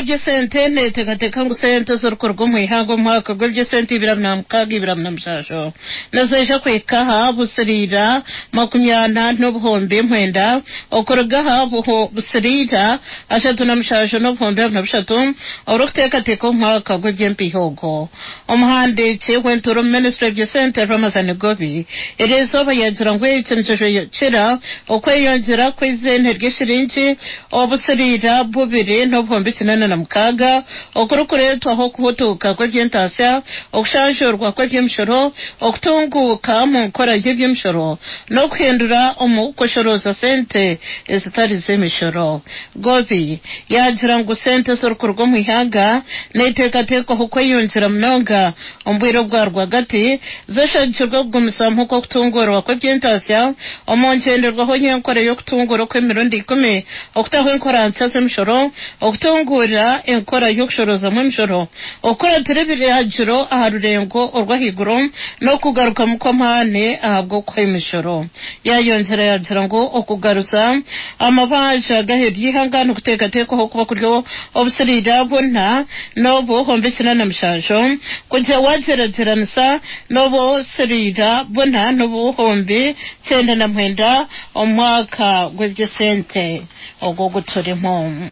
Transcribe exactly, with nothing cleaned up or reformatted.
Eby'esente neeteekateeka ngu sente ezirikuruga omu ihanga omu mwaka gw'eby'esente ibiri abiri na mukaaga ibiri abiri na mushanju niziija kuhika aha busiriira makumi ana n'obuhumbi mwenda, okuruga aha busiriira ashatu na mushanju n'obuhumbi abiri na bushatu orikuteekateeka omu mwaka gw'eby'empiiha ogwo. Omuhandiiki w'entuura omu minisitule y'eby'esente Ramathan Ggoobi eriizooba yaagira ngu eki nikijwekira okweyongyera kw'eiziina ry'eshiringi obusiriira bubiri n'obuhumbi kinaana na mukaaga okurikureetwaho okuhutuuka kw'eby'entaasya, okushanjurwa kw'eby'emishoro, okutunguuka omu nkora y'eby'emishoro n'okuhindura omu kushorooza sente ezitari z'emishoro. Ggoobi yaagira ngu sente ezirikuruga omu ihanga neeteekateekwaho kweyongyera munonga omu bwire obwa rwagati zishagikirwe okugumizamu kw'okutunguurwa kw'eby'entaasya omu ngyenderwaho y'enkora y'okutunguura okw'emirundi ikumi, okutaho enkora nsya z'emishoro, okutunguura enkora y'okushoroozamu emishoro, okukuratira ebiragiro aha rurengo orw'ahaiguru n'okugarukamu kw'amaani ahabw'okuha emishoro. Yaayongyera yaagira ngu okugaruza amabanja g'aheeru y'eihanga nikuteekateekwaho kuba kuri obusiriira buna n'obuhumbi kinaana na mushanju kugira waagyeragyeranisa n'obusiriira buna n'obuhumbi kyenda na mwenda omu mwaka gw'eby'esente ogwo oguturimu.